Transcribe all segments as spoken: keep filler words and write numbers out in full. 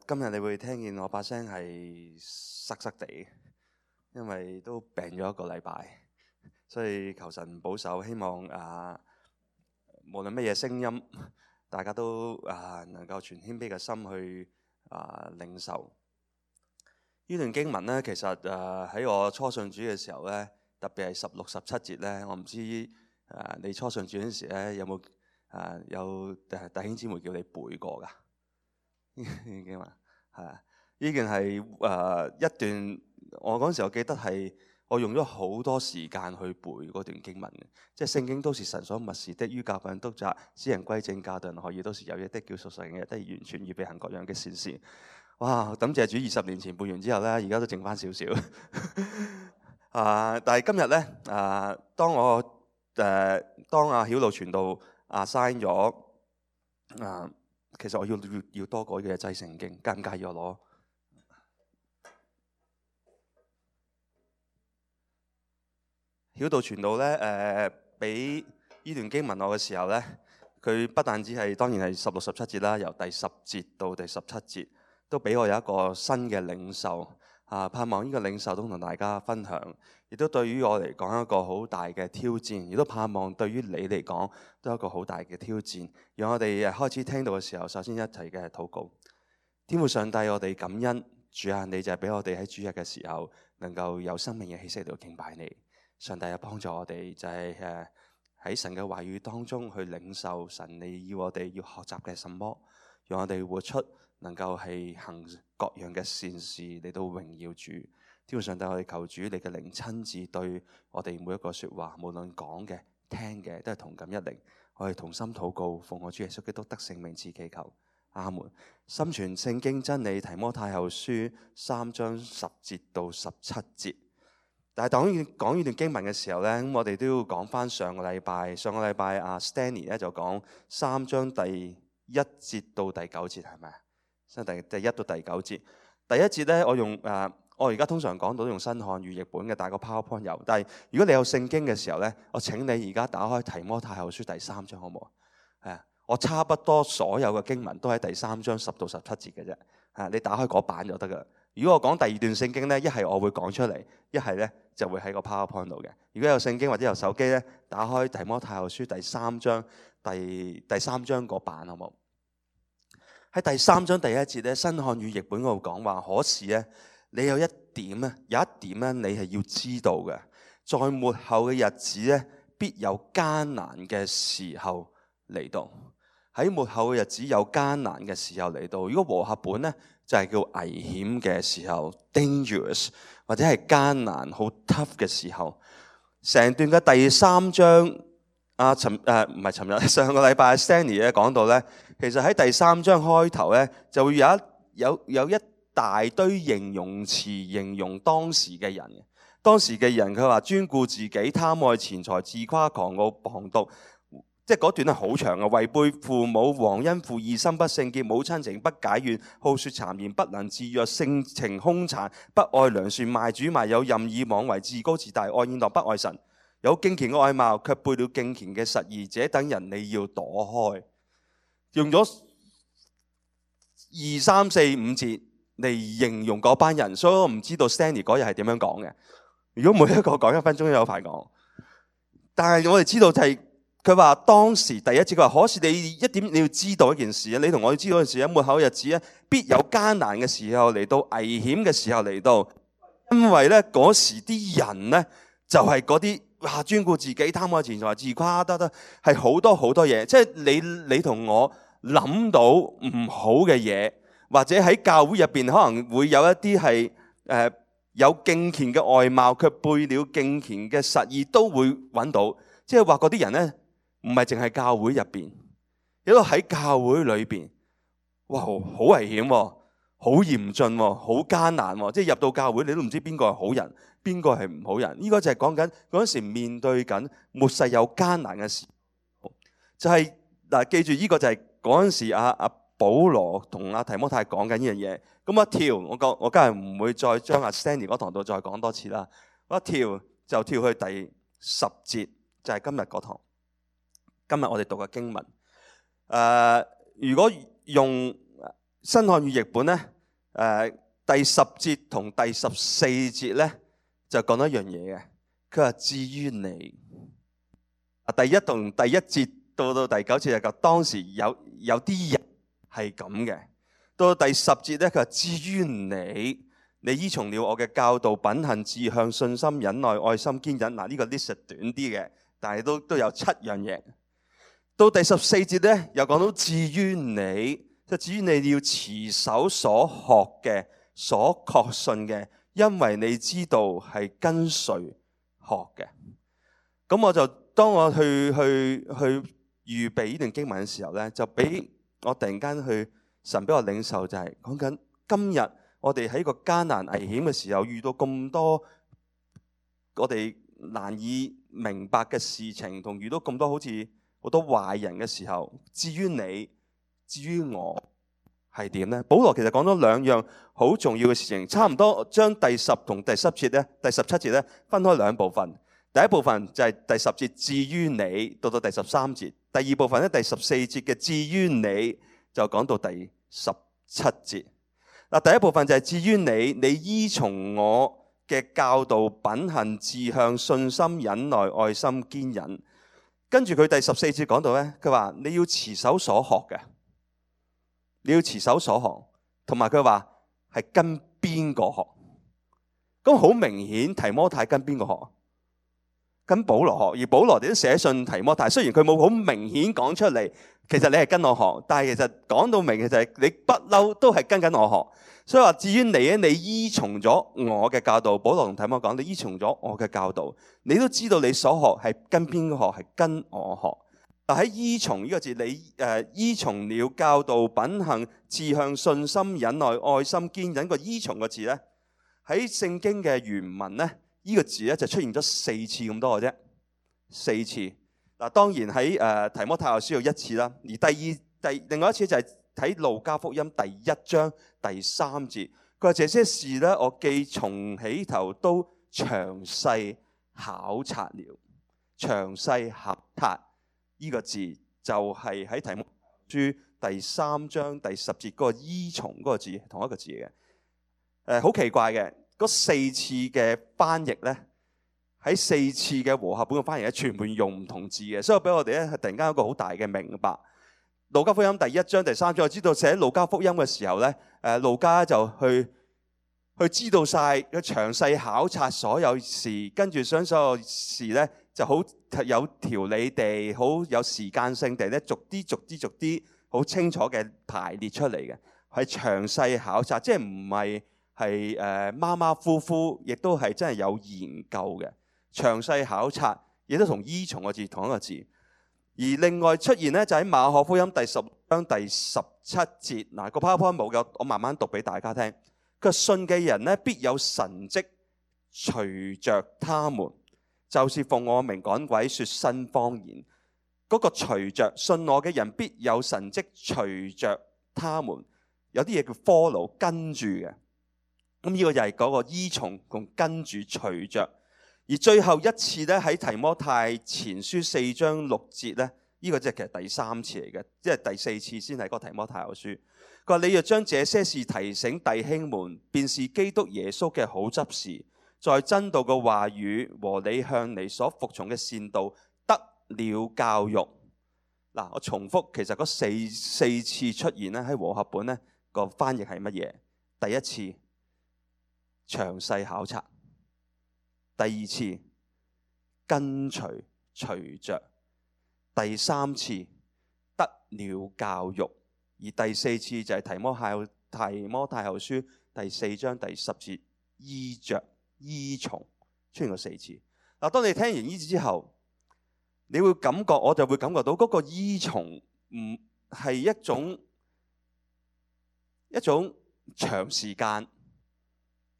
今日你會聽見我把聲係塞塞地，因為都病咗一個禮拜，所以求神保守，希望啊，無論乜嘢聲音，大家都啊能夠全謙卑嘅心去啊領受。呢段經文呢，其實誒喺我初信主嘅時候呢，特別係十六十七節呢，我唔知誒你初信主嗰陣時呢有冇誒有誒弟兄姊妹叫你背過㗎？呢段經文係啊，呢件係誒一段，我嗰陣時我記得係我用咗好多時間去背嗰段經文嘅，即係聖經都是神所默示的，於教訓督責使人歸正，教導人學義，都是有益的，叫屬神嘅人得以完全預備行各樣嘅善事。哇！感謝主，二十年前背完之後咧，而家都剩翻少少。啊！但係今日咧，啊，當我誒、呃、當阿曉露傳道啊 sign 咗啊，其實我要要要多改嘅製聖經，介唔介意我攞？曉道傳道咧，誒俾呢段經文我嘅時候咧，佢不但只係當然係十六十七節啦，由第十節到第十七節。都俾我有一個新嘅領受啊！盼望呢個領受都同大家分享，亦都對於我嚟講一個好大嘅挑戰，亦都盼望對於你嚟講都係一個好大嘅挑戰。讓我哋開始聽到嘅時候，首先一齊嘅禱告。天父上帝，我哋感恩主啊！你就係俾我哋喺主日嘅時候能夠有生命嘅氣息嚟到敬拜你。上帝啊，幫助我哋就係誒喺神嘅話語當中去領受神你要我哋要學習嘅什麼，讓我哋活出能夠係行各樣嘅善事嚟到榮耀主。天父上帝，我哋求主你嘅靈親自對我哋每一個說話，無論講嘅聽嘅都係同感一靈。我哋同心禱告，奉我主耶穌基督得聖名賜祈求，阿門。心存聖經真理，提摩太後書三章十節到十七節。但係當講呢段經文嘅時候呢，咁我哋都要講翻上個禮拜，上個禮拜阿 Stanley 咧就講三章第一節到第九節，係咪啊？第第一到第九節，第一節咧，我用誒、呃，我而家通常講到用新漢語譯本嘅，但係個 PowerPoint 有。但係如果你有聖經嘅時候咧，我請你而家打開提摩太後書第三章，好唔好？係啊，我差不多所有嘅經文都喺第三章十到十七節嘅啫。係，你打開嗰版就得噶啦。如果我講第二段聖經咧，一係我會講出嚟，一係咧就會喺個 PowerPoint 度嘅。如果有聖經或者有手機咧，打開提摩太後書第三章第第三章嗰版，好唔好？喺第三章第一節咧，新漢語譯本嗰度講話，可是咧，你有一點咧，有一點咧，你係要知道嘅，在末後嘅日子咧，必有艱難嘅時候嚟到。喺末後嘅日子有艱難嘅時候嚟到。如果和合本咧，就係叫危險嘅時候 （dangerous） 或者係艱難好 tough 嘅時候。成段嘅第三章。啊，尋誒唔係尋日，上個禮拜 Stanley 咧講到咧，其實喺第三章開頭咧，就會有一有有一大堆形容詞形容當時嘅人。當時嘅人佢話專顧自己、貪愛錢財、自誇狂傲、謗讟，即係嗰段係好長嘅。違背父母、忘恩負義、心不聖潔、冇親情、不解怨、好說讒言、不能自約、性情兇殘、不愛良善、賣主賣友、任意妄為、自高自大、愛宴樂、不愛神。有敬虔嘅外貌，卻背了敬虔嘅實義，這等人你要躲開。用咗二三四五節嚟形容嗰班人，所以我唔知道 Stanley 嗰日係點樣講嘅。如果每一個講一分鐘都有排講，但係我哋知道就係佢話當時第一節佢話，可是你一點你要知道一件事，你同我要知道一件事，喺末後日子咧，必有艱難嘅時候嚟到，危險嘅時候嚟到，因為咧嗰時啲人咧就係嗰啲。哇！專顧自己、貪愛錢財、自誇得得，係好多好多嘢。即係你你同我諗到唔好嘅嘢，或者喺教會入邊可能會有一啲係誒有敬虔嘅外貌，卻背了敬虔嘅實義，都會揾到。即係話嗰啲人咧，唔係淨係教會入邊，亦都喺教會裏邊。哇！好危險喎，好嚴峻喎，好艱難喎。即係入到教會，你都唔知邊個係好人。邊個係唔好人？呢個就係講緊嗰陣時面對緊末世有艱難嘅時候，就係嗱，記住呢個就係嗰陣時阿阿保羅同阿提摩太講緊呢樣嘢。咁一跳，我講我梗係唔會再將阿 Stanley 嗰堂度再講多次啦。我一跳就跳去第十節，就係今日嗰堂。今日我哋讀嘅經文，誒，如果用新漢語譯本咧，呃、第十節同第十四節咧就講一樣嘢嘅。佢話至於你，第一同第一節到到第九節就講當時有有啲人係咁嘅。到到第十節咧，佢話至於你，你依從了我嘅教導、品行、志向、信心、忍耐、愛心、堅忍。嗱，呢個 list 短啲嘅，但係都都有七樣嘢。到第十四節咧，又講到至於你，就至於你要持守所學嘅、所確信嘅，因為你知道係跟隨學嘅。咁我就當我去去去預備呢段經文嘅時候咧，就俾我突然間去神俾我領受，就係講緊今日我哋喺個艱難危險嘅時候，遇到咁多我哋難以明白嘅事情，同遇到咁多好似好多壞人嘅時候，至於你，至於我係點呢？保羅其實講咗兩樣好重要嘅事情，差唔多將第十同第十節咧、第十七節咧分開兩部分。第一部分就係第十節至於你，到到第十三節。第二部分咧，第十四節嘅至於你就講到第十七節。嗱，第一部分就係至於你，你依從我嘅教導、品行、志向、信心、忍耐、愛心、堅忍。跟住佢第十四節講到咧，佢話你要持守所學嘅，你要持守所學，同埋佢話係跟邊個學？咁好明顯，提摩太跟邊個學？跟保羅學。而保羅哋都寫信提摩太，雖然佢冇好明顯講出嚟，其實你係跟我學，但係其實講到明嘅就係你不嬲都係跟緊我學。所以話至於你咧，你依從咗我嘅教導。保羅同提摩講，你依從咗我嘅教導，你都知道你所學係跟邊個學？係跟我學。但喺依從呢個字，你誒依從了教導、品行、志向、信心、忍耐、愛心、堅忍。個依從個字咧，喺聖經嘅原文咧，呢個字咧就出現咗四次咁多嘅啫，四次。嗱，當然喺誒提摩太後書有一次啦，而第二第另外一次就係睇路加福音第一章第三節，佢話這些事咧，我既從起頭都詳細考察了。詳細考察呢個字就係喺提摩太書第三章第十節嗰個依從嗰個字，同一個字嘅。誒、呃，好奇怪嘅。嗰四次嘅翻譯咧，喺四次嘅和合本嘅翻譯咧，全部用唔同字嘅，所以俾我哋咧係突然間有一個好大嘅明白。路加福音第一章第三章，我知道寫路加福音嘅時候咧，誒路加就去去知道晒，佢詳細考察所有事，跟住將所有事咧就好有條理地、好有時間性地咧，逐啲逐啲逐啲好清楚嘅排列出嚟嘅，係詳細考察，即係唔係。係誒馬馬虎虎，亦都係真係有研究嘅，詳細考察，亦都同依從個字同一個字。而另外出現咧，就喺馬可福音第十章第十七節。嗱，個 PowerPoint 冇嘅，我慢慢讀俾大家聽。佢信嘅人咧，必有神蹟隨着他們，就是奉我名趕鬼、說新方言。嗰、那個隨着信我嘅人，必有神蹟隨着他們。有啲嘢叫 follow 跟住嘅。咁呢個就係嗰個依從同跟住隨着。而最後一次咧，喺提摩太前書四章六節咧，呢、這個即係其實第三次嚟嘅，即係第四次先係嗰個提摩太後書。佢話你若將這些事提醒弟兄們，便是基督耶穌嘅好執事，在真道嘅話語和你向你所服從嘅善道得了教育。嗱，我重複，其實嗰四四次出現咧喺和合本咧個翻譯係乜嘢？第一次詳細考察，第二次跟隨隨着，第三次得了教育，而第四次就係提摩太提摩太後書第四章第十節依着依從出現過四次。嗱，當你聽完呢次之後，你會感覺，我就會感覺到嗰個依從唔係一種一種長時間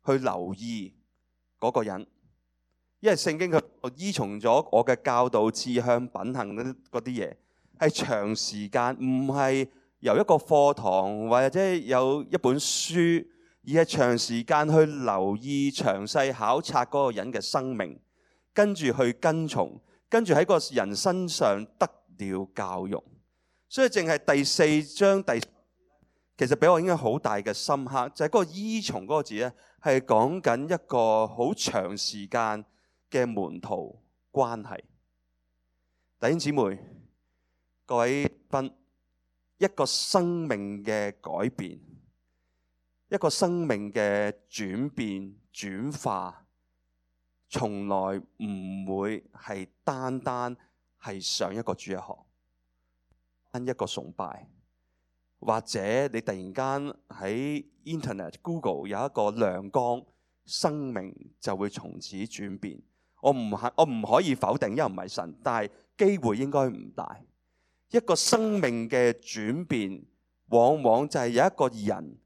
去留意嗰個人，因為聖經佢依從咗我嘅教導、志向、品行嗰啲嘢，係長時間，唔係由一個課堂或者有一本書，而係長時間去留意、詳細考察嗰個人嘅生命，跟住去跟從，跟住喺個人身上得了教育。所以淨係第四章第，其實俾我應該好大嘅深刻，就係、是、嗰個依從嗰個字咧，係講緊一個好長時間嘅門徒關係。弟兄姊妹，各位賓，一個生命嘅改變，一個生命嘅轉變轉化，從來唔會係單單係上一個主日學，單一個崇拜。或者你突然間喺 Internet Google 有一個亮光，生命就會從此轉變。我唔係我唔可以否定，因為唔係神，但係機會應該唔大。一個生命嘅轉變，往往就係有一個人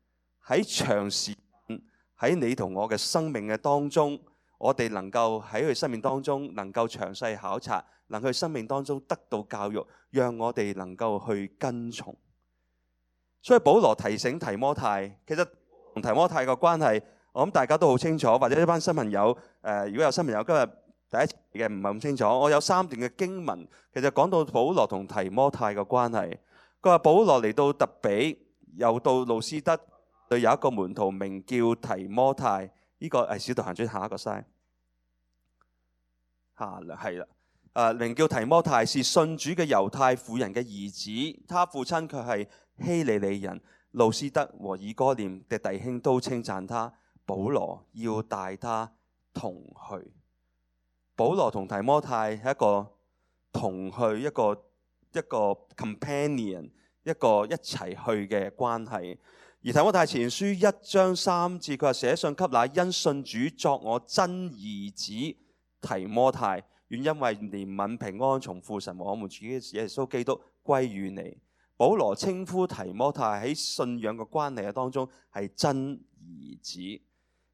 喺長時間喺你同我嘅生命嘅當中，我哋能夠喺佢生命當中能夠詳細考察，能夠喺生命當中得到教育，讓我哋能夠去跟從。所以保羅提醒提摩太，其實同提摩太嘅關係，我諗大家都好清楚，或者一班新朋友，誒、呃，如果有新朋友今日第一次嘅唔係咁清楚，我有三段嘅經文，其實講到保羅同提摩太嘅關係。佢話保羅嚟到特比，又到路斯德，對有一個門徒名叫提摩太，呢、這個係使徒行傳下一個 slide， 下係啦。誒，名叫提摩太，是信主嘅猶太婦人嘅兒子，他父親卻係希利尼人。路斯德和以哥念嘅弟兄都稱讚他。保羅要帶他同去。保羅同提摩太係一個同去，一個一個 companion， 一個一齊去嘅關係。而提摩太前書一章三節，佢話寫信給那因信主作我真兒子提摩太，願因為憐憫平安從父神和我們主耶穌基督歸於你。保羅稱呼提摩太喺信仰嘅關係嘅當中係真兒子。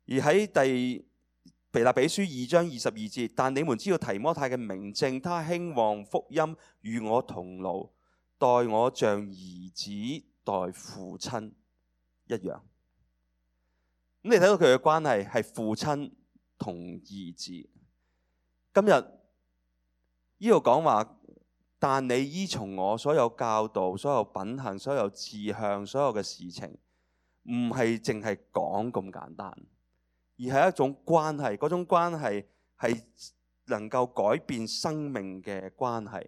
而喺第腓立比書二章二十二節，但你們知道提摩太嘅明證，他興旺福音，與我同勞，待我像兒子待父親一樣。咁你睇到佢嘅關係係父親同兒子。今日呢度講話，但你依從我所有教導、所有品行、所有志向、所有嘅事情，唔係淨係講咁簡單，而係一種關係。嗰種關係係能夠改變生命嘅關係。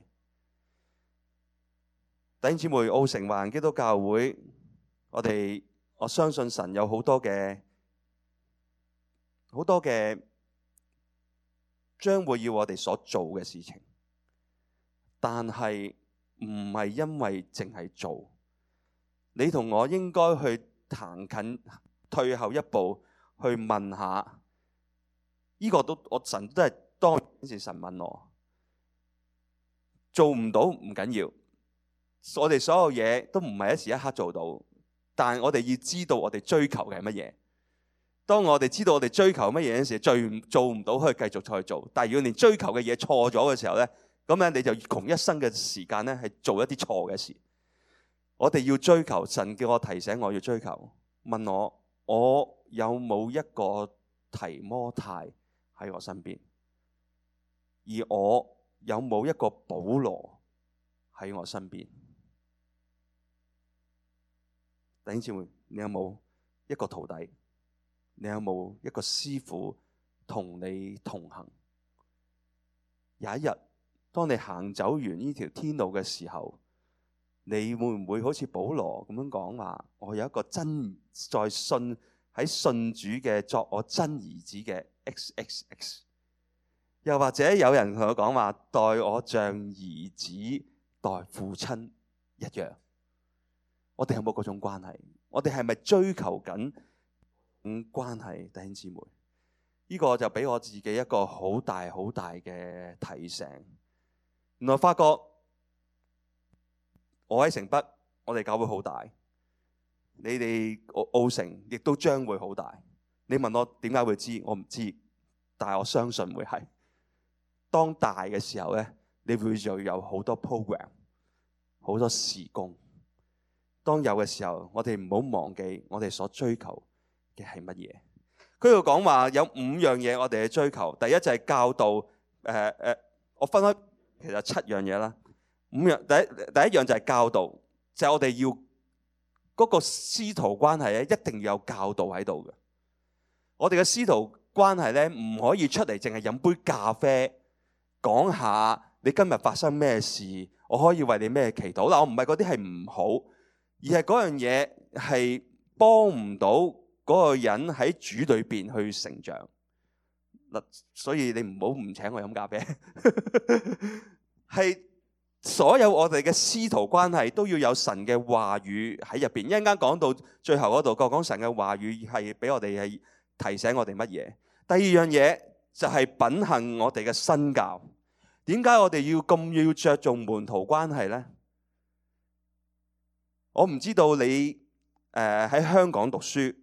弟兄姊妹，澳城華人基督教會，我哋我相信神有好多嘅好多嘅將會要我哋所做嘅事情。但係唔係因為淨係做，你同我應該去行近，退後一步去問下。呢、這個都我神都係當時神問我，做唔到唔緊要，我哋所有嘢都唔係一時一刻做到，但係我哋要知道我哋追求嘅係乜嘢。當我哋知道我哋追求乜嘢嘅時候，最做唔到可以繼續再做。但係如果連追求嘅嘢錯咗嘅時候咧，咁咧你就窮一生嘅時間咧，係做一啲錯嘅事。我哋要追求，神叫我提醒我要追求，問我我有冇一個提摩太喺我身邊，而我有冇一個保羅喺我身邊？弟兄姊妹，你有冇一個徒弟？你有冇一個師傅同你同行？有一日，當你行走完呢條天路嘅時候，你會唔會好似保羅咁樣講話？我有一個真在信喺信主嘅作我真兒子嘅 X X X， 又或者有人同我講話，待我像兒子待父親一樣。我哋有冇嗰種關係？我哋係咪追求緊關係？弟兄姊妹，呢個就俾我自己一個好大好大嘅提醒。原來發覺我喺城北，我哋教會好大，你哋澳城亦都將會好大。你問我點解會知？我唔知，但係我相信會係。當大嘅時候咧，你會就有好多 program， 好多事工。當有嘅時候，我哋唔好忘記我哋所追求嘅係乜嘢。佢度講話有五樣嘢我哋去追求。第一就係教導，誒、呃、誒，我分開。其實七樣嘢啦，五樣第一第一樣就係教導，就係、是、我哋要嗰個師徒關係咧，一定要有教導喺度嘅。我哋嘅師徒關係咧，唔可以出嚟淨係飲杯咖啡，講下你今日發生咩事，我可以為你咩祈禱。嗱，我唔係嗰啲係唔好，而係嗰樣嘢係幫唔到嗰個人喺主裏邊去成長。嗱，所以你唔好唔請我飲咖啡。係所有我哋嘅師徒關係都要有神嘅話語喺入邊。一陣間講到最後嗰度，講講神嘅話語係俾我哋係提醒我哋乜嘢。第二樣嘢就係品行我哋嘅身教。點解我哋要咁要着重門徒關係呢？我唔知道你誒喺香港讀書，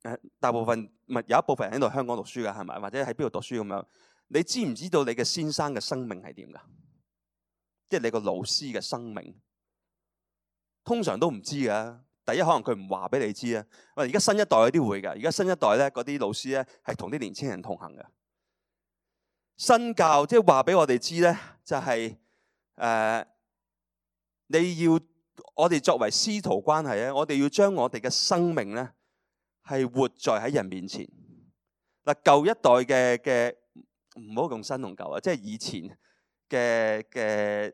誒大部分唔係有一部分人喺度香港讀書㗎，係咪？或者喺邊度讀書咁樣？你知唔知道你嘅先生嘅生命係點㗎？即係你個老師嘅生命，通常都唔知㗎。第一，可能佢唔話俾你知啊。喂，而家新一代有啲會㗎。而家新一代咧，嗰啲老師咧係同啲年青人同行嘅。身教即係話俾我哋知咧，就係、是、誒、呃、你要我哋作為師徒關係咧，我哋要將我哋嘅生命咧係活在喺人面前。嗱，舊一代嘅嘅唔好用新同舊啊，即係以前嘅嘅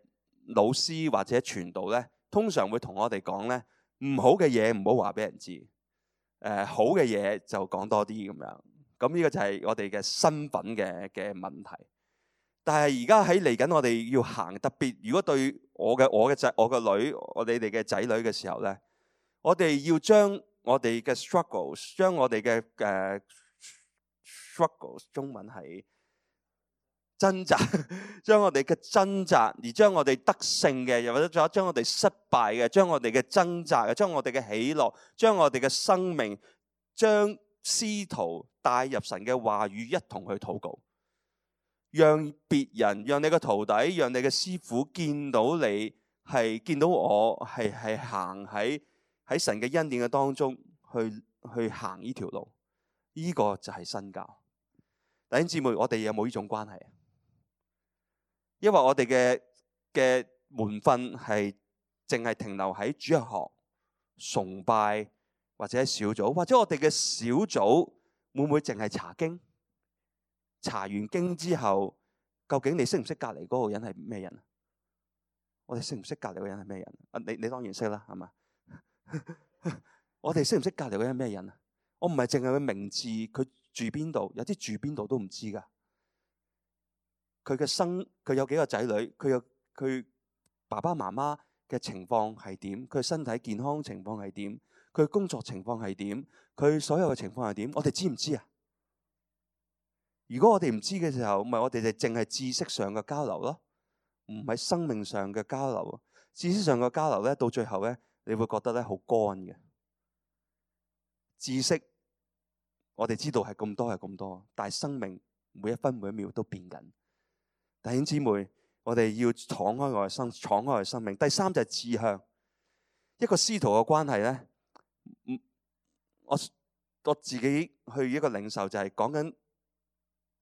老師或者傳道咧，通常會同我哋講咧，唔好嘅嘢唔好話俾人知，誒、呃、好嘅嘢就講多啲咁樣。咁呢個就係我哋嘅身份嘅嘅問題。但係而家喺嚟緊，我哋要行特別。如果對我嘅我嘅仔、我嘅女、我哋哋嘅仔女嘅時候咧，我哋要將我哋嘅 struggles， 將我哋嘅誒 struggles， 中文係掙扎，將我哋嘅掙扎，而將我哋得勝嘅，又或者仲有將我哋失敗嘅，將我哋嘅掙扎嘅，將我哋嘅喜樂，將我哋嘅生命，將師徒帶入神嘅話語，一同去禱告，讓別人，讓你嘅徒弟，讓你嘅師傅見到你係見到我係係行喺喺神嘅恩典嘅當中去去行呢條路，呢、這個就係身教。弟兄姊妹，我哋有冇呢種關係啊？因為我哋嘅嘅門訓係淨係停留喺主日學、崇拜或者小組，或者我哋嘅小組會唔會淨係查經？查完經之後，究竟你識唔識隔離嗰個人係咩人啊？我哋識唔識隔離嗰個人係咩人啊？你你當然識啦，係嘛？我哋識唔識隔離嗰個人係咩人啊？我唔係淨係佢名字，佢住邊度，有啲住邊度都唔知噶。佢嘅生，佢有幾個仔女，佢有佢爸爸媽媽嘅情況係點？佢身體健康情況係點？佢工作情況係點？佢所有嘅情況係點？我哋知唔知啊？如果我哋唔知嘅時候，咪我哋就淨係知識上嘅交流咯，唔係生命上嘅交流。知識上嘅交流咧，到最後咧，你會覺得咧好乾嘅。知識我哋知道係咁多係咁多，但係生命每一分每一秒都變緊。弟兄姊妹，我哋要敞開我嘅生，敞開我嘅生命。第三就係志向。一個師徒嘅關係咧，我我自己去一個領受就係講緊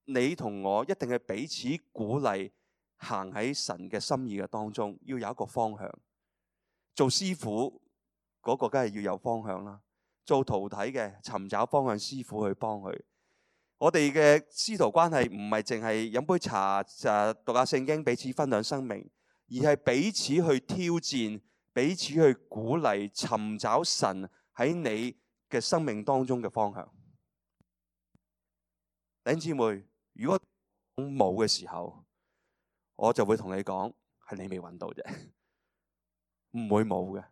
你同我一定係彼此鼓勵，行喺神嘅心意嘅當中，要有一個方向。做師傅嗰個梗係要有方向啦，做徒弟嘅尋找方向，師傅去幫佢。我哋嘅師徒關係唔係淨係飲杯茶就讀下聖經，彼此分享生命，而係彼此去挑戰，彼此去鼓勵，尋找神喺你嘅生命當中嘅方向。弟兄姊妹，如果冇嘅時候，我就會同你講，係你未揾到啫，唔會冇嘅。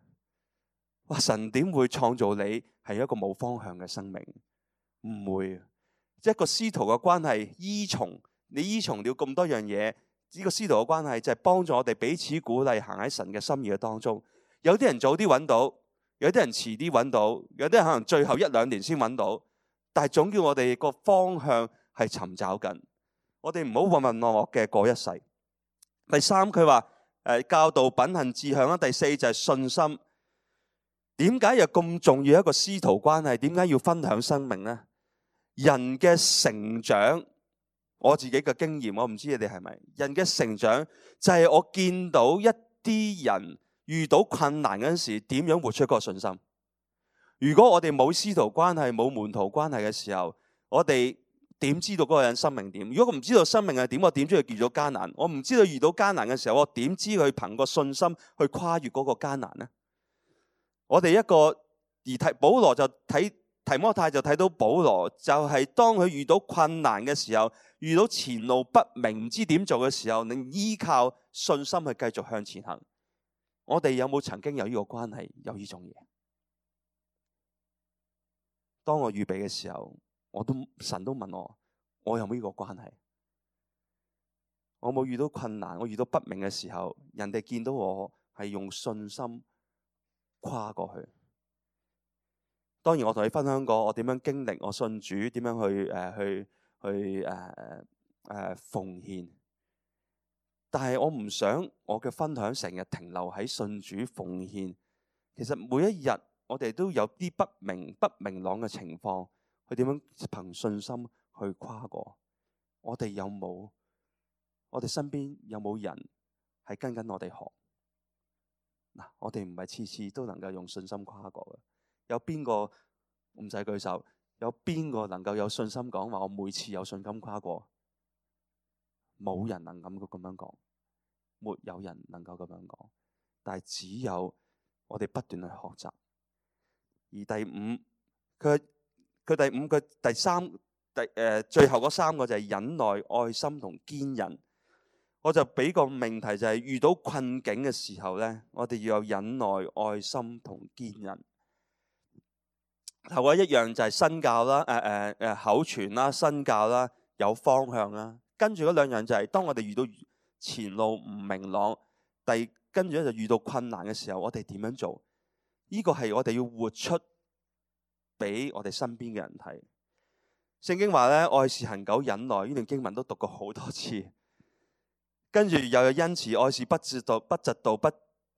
哇！神點會創造你係一個冇方向嘅生命？唔會。一個師徒嘅關係，依從你依從了咁多樣嘢，呢個師徒嘅關係就係幫助我哋彼此鼓勵，行喺神嘅心意嘅當中。有啲人早啲揾到，有啲人遲啲揾到，有啲人可能最後一兩年先揾到，但係總叫我哋個方向係尋找緊。我哋唔好渾渾噩噩嘅過一世。第三，佢話誒教導品行志向啦。第四就係信心。點解又咁重要一個師徒關係？點解要分享生命呢？人嘅成長，我自己嘅經驗，我唔知你哋係咪？人嘅成長就係我見到一啲人遇到困難嗰陣時，點樣活出嗰個信心？如果我哋冇師徒關係、冇門徒關係嘅時候，我哋點知道嗰個人生命點？如果我唔知道生命係點，我點知佢遇到艱難？我唔知道遇到艱難嘅時候，我點知佢憑個信心去跨越嗰個艱難呢？我哋一個而提保羅就睇提摩太就睇到保羅就係當佢遇到困難嘅時候，遇到前路不明唔知點做嘅時候，你依靠信心去繼續向前行。我哋有冇曾經有呢個關係，有呢種嘢？當我預備嘅時候，我都神都問我，我有冇呢個關係？我冇遇到困難，我遇到不明嘅時候，人哋見到我係用信心跨過去。當然我同你分享過我點樣經歷我信主，點樣去誒、呃、去去誒誒、呃、奉獻。但係我唔想我嘅分享成日停留喺信主奉獻。其實每一日我哋都有啲不明不明朗嘅情況，去點樣憑信心去跨過。我哋有冇？我哋身邊有冇人係跟緊我哋學？嗱，我哋唔係次次都能夠用信心跨過嘅。有邊個唔使舉手？有邊個能夠有信心講話？我每次有信心跨過，冇人能咁咁樣講，沒有人能夠咁樣講。但係只有我哋不斷去學習。而第五，佢佢第五佢第三第誒、呃、最後嗰三個就係忍耐、愛心同堅忍。我就俾個命題就係遇到困境嘅時候咧，我哋要有忍耐、愛心同堅忍。頭嗰一樣就係身教啦，誒誒誒口傳啦，身教啦，有方向啦。跟住嗰兩樣就係當我哋遇到前路唔明朗，第跟住咧就遇到困難嘅時候，我哋點樣做？呢個係我哋要活出俾我哋身邊嘅人睇。聖經話咧，愛是恒久忍耐，呢段經文都讀過好多次。跟住又有恩慈，愛是不嫉妒，不嫉妒，不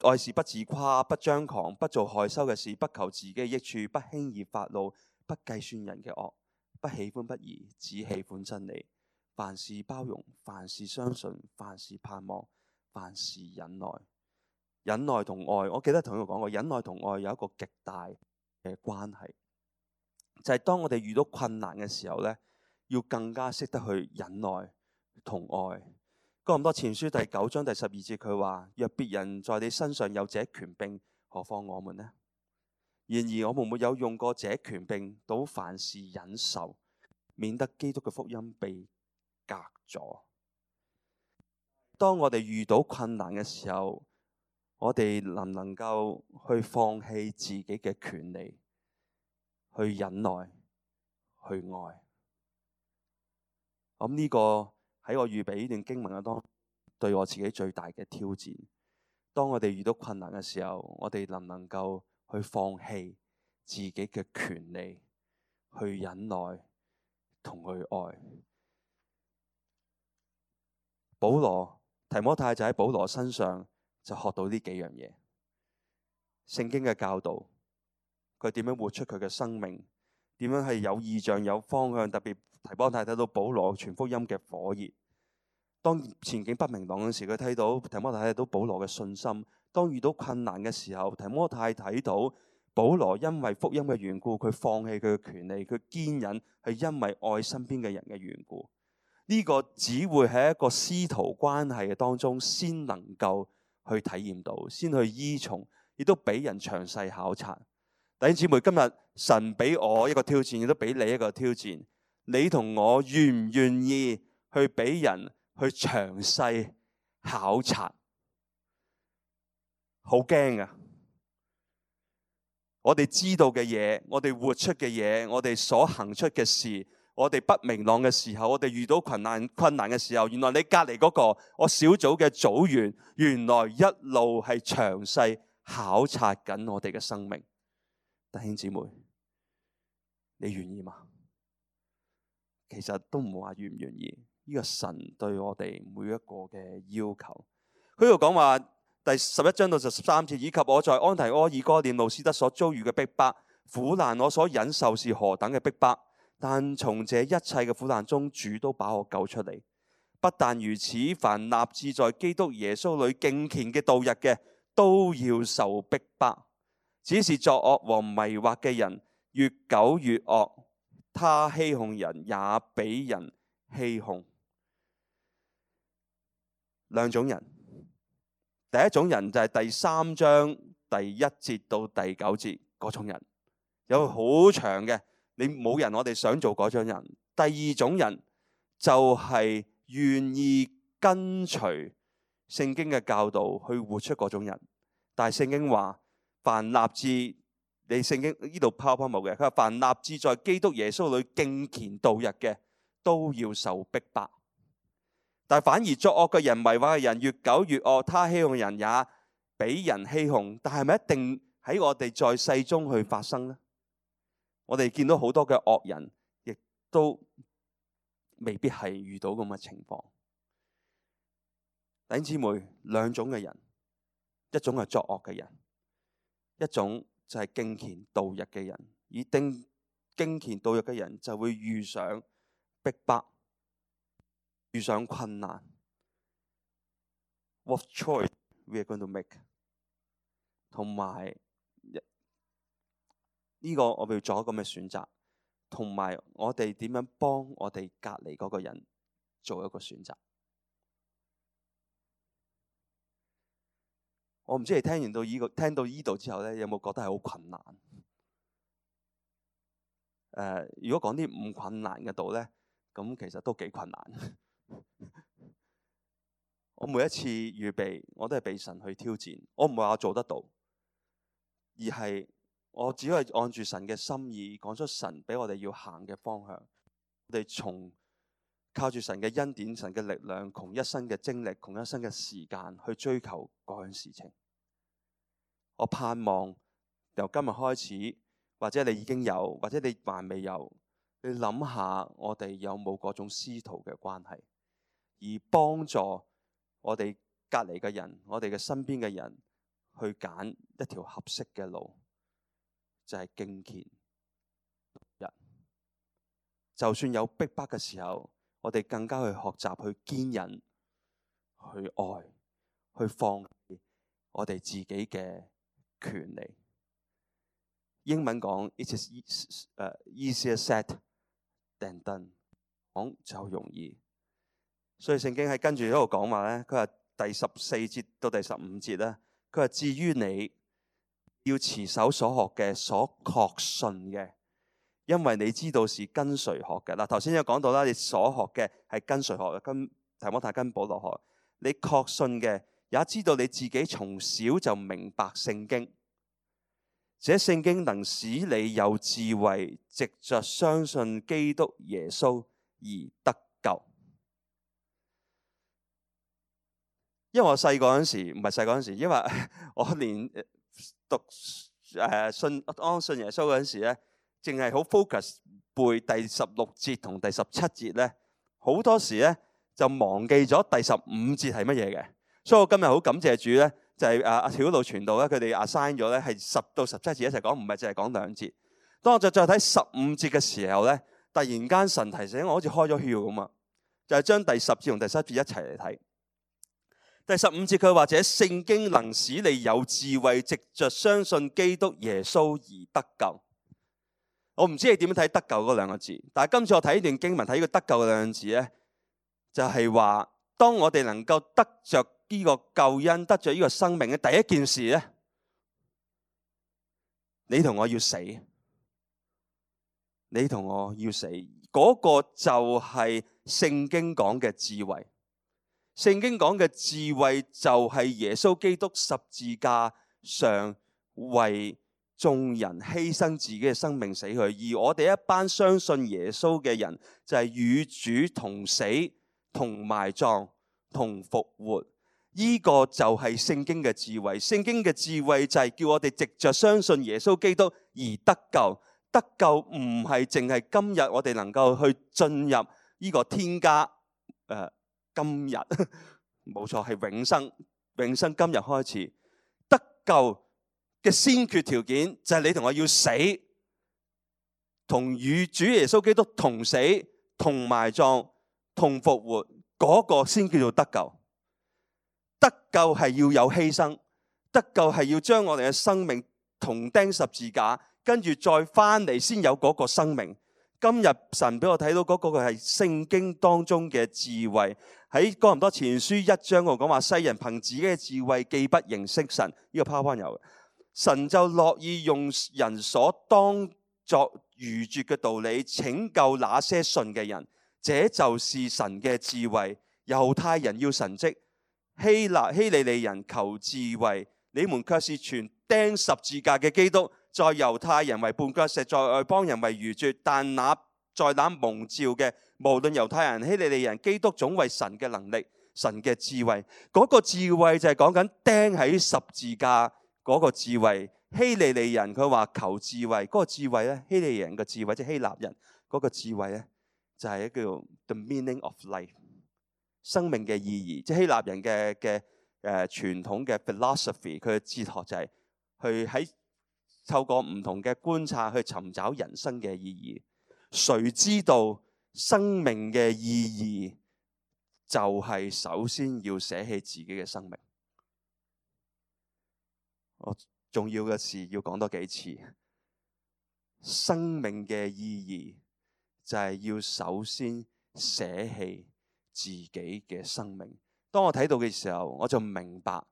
愛是不自誇，不張狂，不做害羞嘅事，不求自己嘅益處，不輕易發怒，不計算人嘅惡，不喜歡不義，只喜歡真理。凡事包容，凡事相信，凡事盼望，凡事忍耐。忍耐同愛，我記得同佢講過，忍耐同愛有一個極大嘅關係，就係當我哋遇到困難嘅時候咧，要更加識得去忍耐同愛。哥林多前書第九章第十二節佢話：若別人在你身上有這權柄，何況我們呢？然而我們沒有用過這權柄，倒凡事忍受，免得基督嘅福音被隔咗。當我哋遇到困難嘅時候，我哋能唔能夠去放棄自己嘅權利，去忍耐，去愛？咁呢個喺我預備呢段經文嘅當中，對我自己最大嘅挑戰。當我哋遇到困難嘅時候，我哋能唔能夠去放棄自己嘅權利，去忍耐同去愛？保羅提摩太就喺保羅身上就學到呢幾樣嘢。聖經嘅教導，佢點樣活出佢嘅生命，點樣係有意象有方向。特別提摩太睇到保羅傳福音嘅火熱。當前景不明朗嘅時，佢睇到提摩太睇到保羅嘅信心。當遇到困難嘅時候，提摩太睇到保羅因為福音嘅緣故，佢放棄佢嘅權利，佢堅忍，係因為愛身邊嘅人嘅緣故。呢個只會喺一個師徒關係嘅當中先能夠去體驗到，先去依從，亦都俾人詳細考察。弟兄姊妹，今日神俾我一個挑戰，亦都俾你一個挑戰。你同我願唔願意去俾人去詳細考察？好驚啊！我哋知道嘅嘢，我哋活出嘅嘢，我哋所行出嘅事，我哋不明朗嘅時候，我哋遇到困難困難嘅時候，原來你隔籬嗰個我小組嘅組員，原來一路係詳細考察緊我哋嘅生命。弟兄姊妹，你願意嗎？其實都唔好話願唔願意，呢個神對我哋每一個嘅要求。佢度講話第十一章到十三節，以及我在安提阿、以哥念、路斯德所遭遇嘅逼迫、苦難，我所忍受是何等嘅逼迫。但從這一切嘅苦難中，主都把我救出嚟。不但如此，凡立志在基督耶穌裏敬虔嘅度日嘅，都要受逼迫。只是作惡和迷惑嘅人越久越惡，他欺哄人也比人欺哄。兩種人，第一種人就係第三章第一節到第九節嗰種人，有好長嘅，你冇人我哋想做嗰種人。第二種人就係願意跟隨聖經嘅教導去活出嗰種人。但係聖經話，凡立志，你聖經呢度拋拋冇嘅，佢話凡立志在基督耶穌裏敬虔度日嘅，都要受逼迫。但反而作惡嘅人、迷惑嘅人越久越惡，他欺哄人也比人欺哄。但係咪一定喺我哋在世中去發生呢？我哋見到好多嘅惡人，亦都未必係遇到咁嘅情況。弟兄姊妹，兩種嘅人，一種係作惡嘅人，一種就係敬虔度日嘅人。而定敬虔度日嘅人就會遇上逼迫，遇上困難。What choice we are going to make？ 同埋呢個我哋要做一個咩選擇？同埋我哋點樣幫我哋隔離嗰個人做一個選擇？我唔知你聽完到呢個聽到呢度之後咧，有冇覺得係好困難？誒、呃，如果講啲唔困難嘅度咧，咁其實都幾困難。我每一次預備，我都係被神去挑戰。我唔係話我做得到，而係我只可以按住神嘅心意，講出神俾我哋要行嘅方向。我哋從靠住神嘅恩典、神嘅力量，窮一生嘅精力、窮一生嘅時間去追求嗰樣事情。我盼望由今日開始，或者你已經有，或者你還未有，你諗下我哋有冇嗰種師徒嘅關係，而幫助我哋隔離嘅人，我哋嘅身邊嘅人去揀一條合適嘅路，就係敬虔度日。就算有逼迫嘅時候，我哋更加去學習去堅忍、去愛、去放棄我哋自己嘅權利。英文講 It is easier said than done， 講就容易。所以聖經喺跟住喺度講話咧，佢話第十四節到第十五節咧，佢話至於你要持守所學嘅、所確信嘅，因為你知道是跟誰學嘅。嗱，頭先有講到啦，你所學嘅係跟誰學嘅？跟提摩太跟保羅學。你確信嘅，也知道你自己從小就明白聖經，這聖經能使你有智慧，藉着相信基督耶穌而得救。因為我細個嗰陣時，唔係細個嗰陣時，因為我連讀誒信安信耶穌嗰陣時咧，淨係好 focus 背第十六節同第十七節咧，好多時咧就忘記咗第十五節係乜嘢嘅。所以我今日好感謝主咧，就係阿阿曉路傳道咧，佢哋 assign 咗咧係十到十七節一齊講，唔係淨係講兩節。當我就再睇十五節嘅時候咧，突然間神提醒我，好似開咗竅咁啊，就係、是、將第十節同第十一節一齊嚟睇。第十五節佢話，這聖經能使你有智慧，藉着相信基督耶穌而得救。我唔知你點樣睇得救嗰兩個字，但係今次我睇呢段經文睇呢個得救嘅兩個字咧，就係、是、話當我哋能夠得着呢個救恩，得着呢個生命嘅第一件事咧，你同我要死，你同我要死，嗰、那個就係聖經講嘅智慧。聖經講嘅智慧就係耶穌基督十字架上為眾人犧牲自己嘅生命死去，而我哋一班相信耶穌嘅人就係與主同死、同埋葬、同復活。呢、這個就係聖經嘅智慧。聖經嘅智慧就係叫我哋藉着相信耶穌基督而得救。得救唔係淨係今日我哋能夠去進入呢個天家誒。呃今日冇錯，係永生，永生今日開始得救嘅先決條件就係你同我要死，同與主耶穌基督同死、同埋葬、同復活，嗰個先叫做得救。得救係要有犧牲，得救係要將我哋嘅生命同釘十字架，跟住再翻嚟先有嗰個生命。今日神俾我睇到嗰個係聖經當中嘅智慧。喺哥林多前書一章我講話，世人憑自己嘅智慧既不認識神，呢個 PowerPoint有嘅，神就樂意用人所當作愚拙嘅道理拯救那些信嘅人，這就是神嘅智慧。猶太人要神蹟，希臘希利尼人求智慧，你們卻是傳釘十字架嘅基督，在猶太人為絆腳石，在外邦人為愚拙，但那在那蒙召嘅，無論猶太人希利尼人，基督總為神嘅能力，神嘅智慧。嗰、那個智慧就係講緊釘喺十字架嗰個智慧。希利尼人佢話求智慧，嗰、那個智慧咧，希利尼人嘅智慧即係希臘人嗰個智慧咧，就係一個叫 the meaning of life， 生命嘅意義。即係希臘人嘅嘅誒傳統嘅 philosophy， 佢嘅哲學就係去喺透過唔同嘅觀察去尋找人生嘅意義。誰知道生命嘅意義就係首先要捨棄自己嘅生命。我重要嘅事要講多幾次，生命嘅意義就係要首先捨棄自己嘅生命。當我睇到嘅時候，我就明白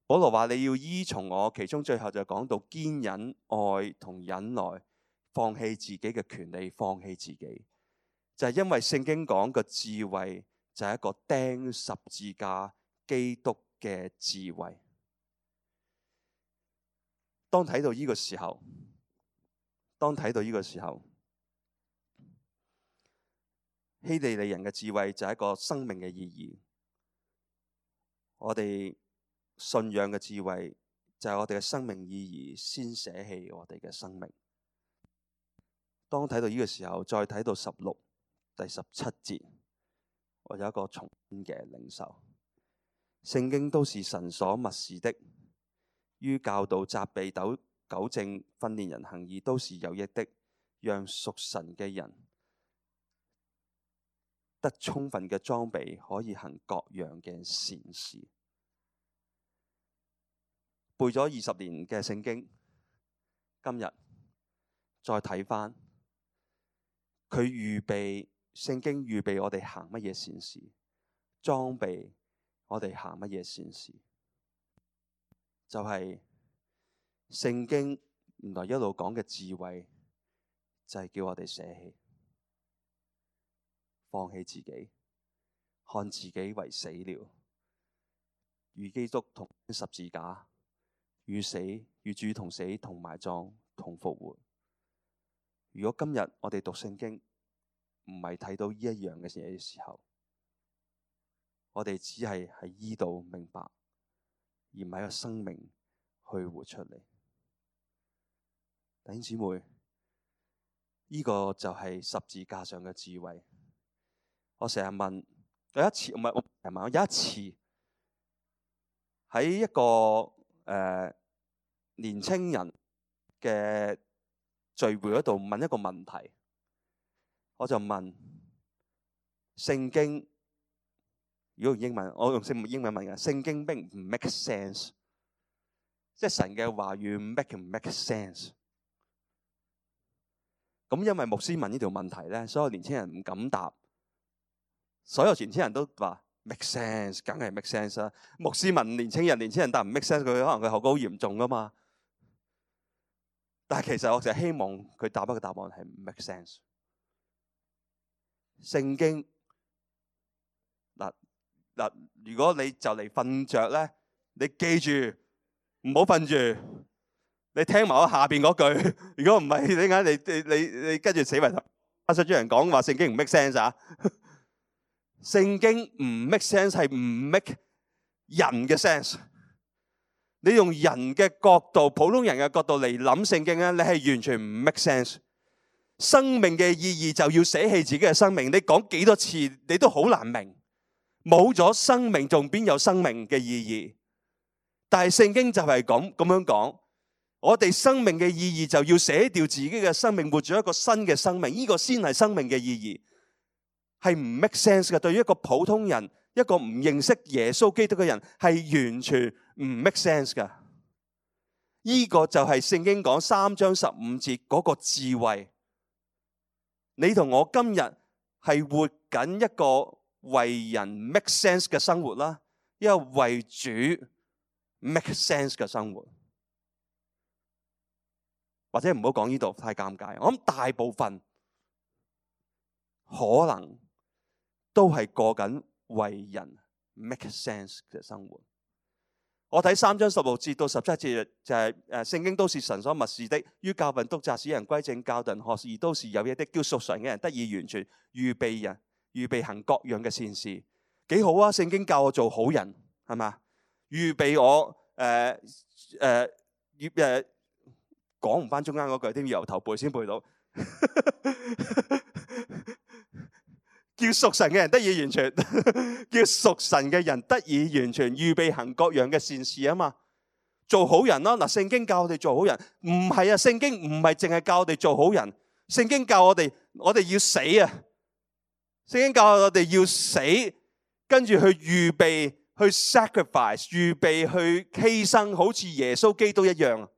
保羅話你要依從我，其中最後就講到堅忍、愛同忍耐，放棄自己嘅權利，放棄自己，就係因為聖經講嘅智慧就係一個釘十字架基督嘅智慧。當睇到呢個時候，當睇到呢個時候，希利尼人嘅智慧就係一個生命嘅意義。我哋信仰嘅智慧就係我哋嘅生命意義，先捨棄我哋嘅生命。當睇到呢個時候，再睇到十六第十七節，我有一個重嘅領受。聖經都是神所默示的，於教導、責備、糾糾正、訓練人行義，都是有益的，讓屬神嘅人得充分嘅裝備，可以行各樣嘅善事。背咗二十年嘅聖經，今日再睇返，佢預備聖經預備我哋行乜嘢善事，裝備我哋行乜嘢善事，就係、是、聖經原來一路講嘅智慧，就係、是、叫我哋捨棄。放棄自己，看自己為死了，與基督同十字架，與死與主同死同埋葬同復活。如果今日我哋讀聖經唔係睇到呢一樣嘅嘢嘅時候，我哋只係喺依度明白，而唔係個生命去活出嚟。弟兄姊妹，呢、這個就係十字架上嘅智慧。我成日問，有一次唔係我成日問，我有一次喺一個誒、呃、年青人嘅聚會嗰度問一個問題，我就問聖經，如果用英文，我用聖英文問嘅，聖經並唔 make sense， 即係神嘅話語 make 唔 make sense？ 咁因為牧師問呢條問題咧，所有年青人唔敢答。所有年青人都話 make sense， 梗係 make sense 啦。牧師問年青人，年青人答唔 make sense， 佢可能佢後果好嚴重噶嘛。但係其實我成日希望佢答一個答案係唔 make sense。聖經嗱嗱，如果你就嚟瞓着咧，你記住唔好瞓住，你聽埋我下邊嗰句。如果唔係，點解你你你你跟住死埋頭？阿實主人講話聖經唔 make sense 啊？聖經唔 make sense 係唔 make 人嘅 sense。你用人嘅角度、普通人嘅角度嚟諗聖經咧，你係完全唔 make sense。生命嘅意義就要捨棄自己嘅生命。你講幾多次，你都好難明。冇咗生命，仲邊有生命嘅意義？但係聖經就係咁咁樣講，我哋生命嘅意義就要捨掉自己嘅生命，活住一個新嘅生命。呢個先係生命嘅意義。係唔 make sense 嘅，對於一個普通人，一個唔認識耶穌基督嘅人，係完全唔 make sense 嘅。呢個就係聖經講三章十五節嗰個智慧。你同我今日係活緊一個為人 make sense 嘅生活啦，一個為主 make sense 嘅生活。或者唔好講呢度太尷尬，我諗大部分可能都係過緊為人 make sense 嘅生活。我睇三章十六節到十七節就係誒，聖經都是神所默示的，於教訓、督責、使人歸正、教導人學義，都是有益的，叫屬神嘅人得以完全，預備人預備行各樣嘅善事。幾好啊！聖經教我做好人，係嘛？預備我誒誒預誒講唔翻中間嗰句，添要由頭背先背到。叫屬神嘅人得以完全，叫屬神嘅人得以完全，預備行各樣嘅善事啊嘛，做好人咯。嗱，聖經教我哋做好人，唔係啊，聖經唔係淨係教我哋做好人，聖經教我哋，我哋要死啊！聖經教我哋要死，跟住去預備，去 sacrifice， 預備去犧牲，好似耶穌基督一樣。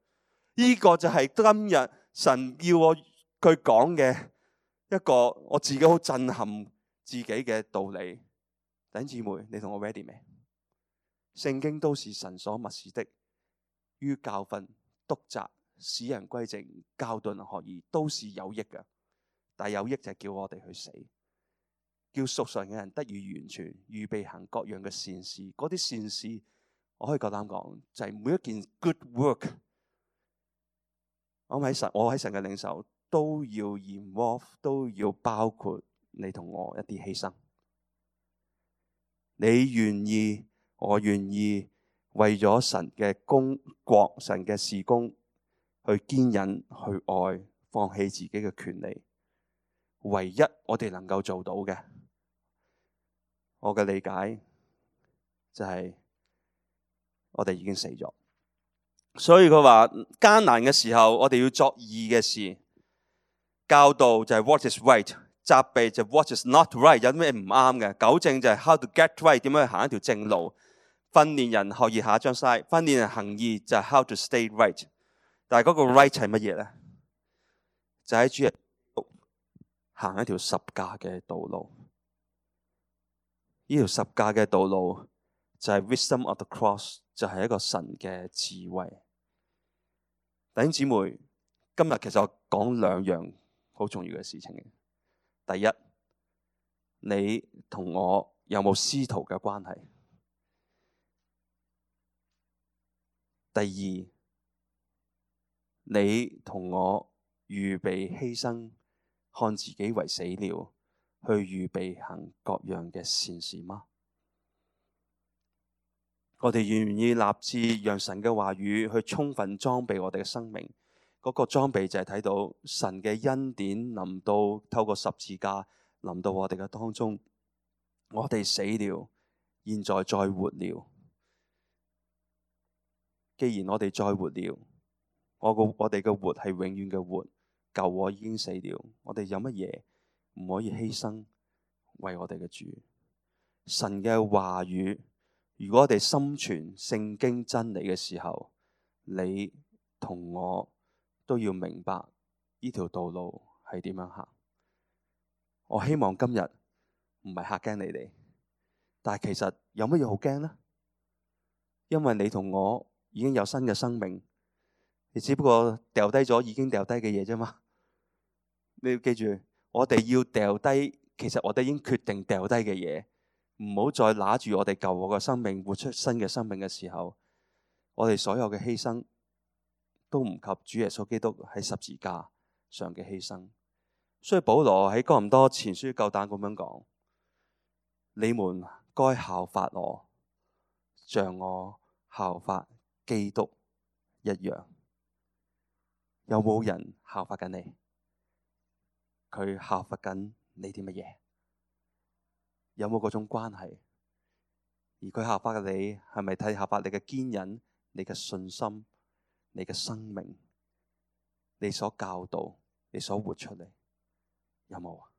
呢個就係今日神要我佢講嘅一個我自己好震撼自己嘅道理。弟兄姊妹，你同我 ready 未？聖經都是神所默示的，於教訓、督責、使人歸正、教導人學義，都是有益嘅。但係有益就係叫我哋去死，叫屬神嘅人得以完全，預備行各樣嘅善事。嗰啲善事，我可以夠膽講，就係、是、每一件 good work。我喺神，我喺神嘅領袖都要 involve， 都要包括你同我一啲犧牲。你願意，我願意，為咗神嘅工國、神嘅事工，去堅忍、去愛，放棄自己嘅權利。唯一我哋能夠做到嘅，我嘅理解就係我哋已經死咗。所以佢話艱難嘅時候，我哋要作義嘅事。教導就係 what is right， 責備就係 what is not right， 有咩唔啱嘅。糾正就係 how to get right， 點樣去行一條正路。訓練人學義，下一張 slide， 訓練人行義就係 how to stay right。但係嗰個 right 係乜嘢咧？就喺主耶穌行一條十架嘅道路。呢條十架嘅道路就係 wisdom of the cross， 就係一個神嘅智慧。弟兄姊妹，今日其實我講兩樣好重要嘅事情。第一，你同我有冇師徒嘅關係？第二，你同我預備犧牲，看自己為死了，去預備行各樣嘅善事嗎？我哋願唔願意立志讓神嘅話語去充分裝備我哋嘅生命？嗰個裝備就係睇到神嘅恩典臨到，透過十字架臨到我哋嘅當中。我哋死了，現在再活了。既然我哋再活了，我個我哋嘅活係永遠嘅活，舊我已經死了。我哋有乜嘢唔可以犧牲為我哋嘅主？神嘅話語，如果我哋心存聖經真理嘅時候，你同我都要明白呢條道路係點樣行。我希望今日唔係嚇驚你哋，但係其實有乜嘢好驚呢？因為你同我已經有新嘅生命，你只不過掉低咗已經掉低嘅嘢啫嘛。你要記住，我哋要掉低，其實我哋已經決定掉低嘅嘢，唔好再拿住我哋舊我嘅生命，活出新嘅生命嘅時候，我哋所有嘅犧牲都唔及主耶穌基督喺十字架上嘅犧牲。所以保羅喺哥林多前書夠膽咁樣講：你們該效法我，像我效法基督一樣。有冇人效法緊你？佢效法緊你啲乜嘢？有冇嗰種關係？而佢效法嘅你，係咪睇效法你嘅堅忍、你嘅信心、你嘅生命、你所教導、你所活出嚟？有冇啊？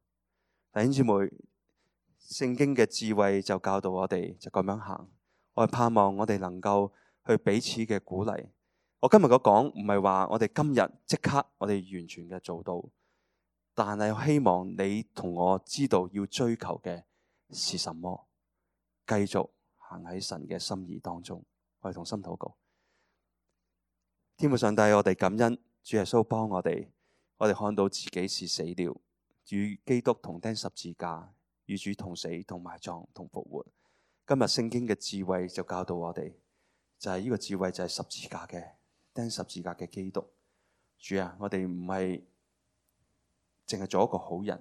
弟兄姊妹，聖經嘅智慧就教導我哋就咁樣行。我係盼望我哋能夠去彼此嘅鼓勵，我今日嘅講唔係話我哋今日即刻我哋完全嘅做到，但係希望你同我知道要追求嘅是什麼，繼續行喺神嘅心意當中。我哋同心禱告。天父上帝，我哋感恩主耶穌幫我哋，我哋看到自己是死了，與基督同釘十字架，與主同死同埋葬同復活。今日聖經嘅智慧就教導我哋，就係、是、呢個智慧就係十字架嘅釘十字架嘅基督。主啊，我哋唔係淨係做一個好人，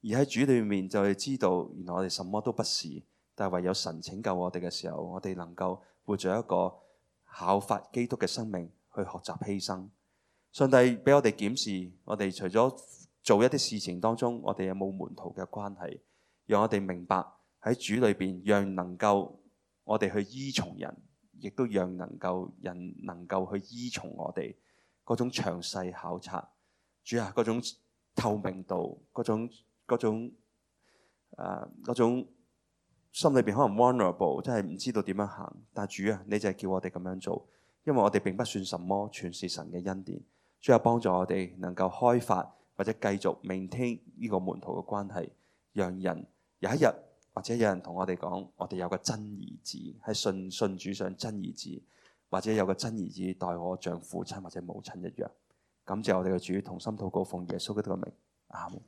而喺主裏面就係知道原來我哋什麼都不是，但係唯有神拯救我哋嘅時候，我哋能夠活在一個效法基督嘅生命，去學習犧牲。上帝俾我哋檢視，我哋除咗做一啲事情當中，我哋有冇門徒嘅關係，讓我哋明白喺主裏邊，讓能夠我哋去依從人，亦都讓能夠人能夠去依從我哋嗰種詳細考察。主啊，嗰種透明度，嗰種嗰種誒嗰種心裏邊可能 vulnerable，真係唔知道點樣行。但係主啊，你就係叫我哋咁樣做。因為我哋並不算什麼，全是神嘅恩典。主啊，幫助我哋能夠開發或者繼續 maintain 呢個門徒嘅關係，讓人有一日或者有人同我哋講，我哋有個真兒子係信信主上真兒子，或者有個真兒子待我像父親或者母親一樣。感謝我哋嘅主，同心禱告，奉耶穌基督嘅名，阿門。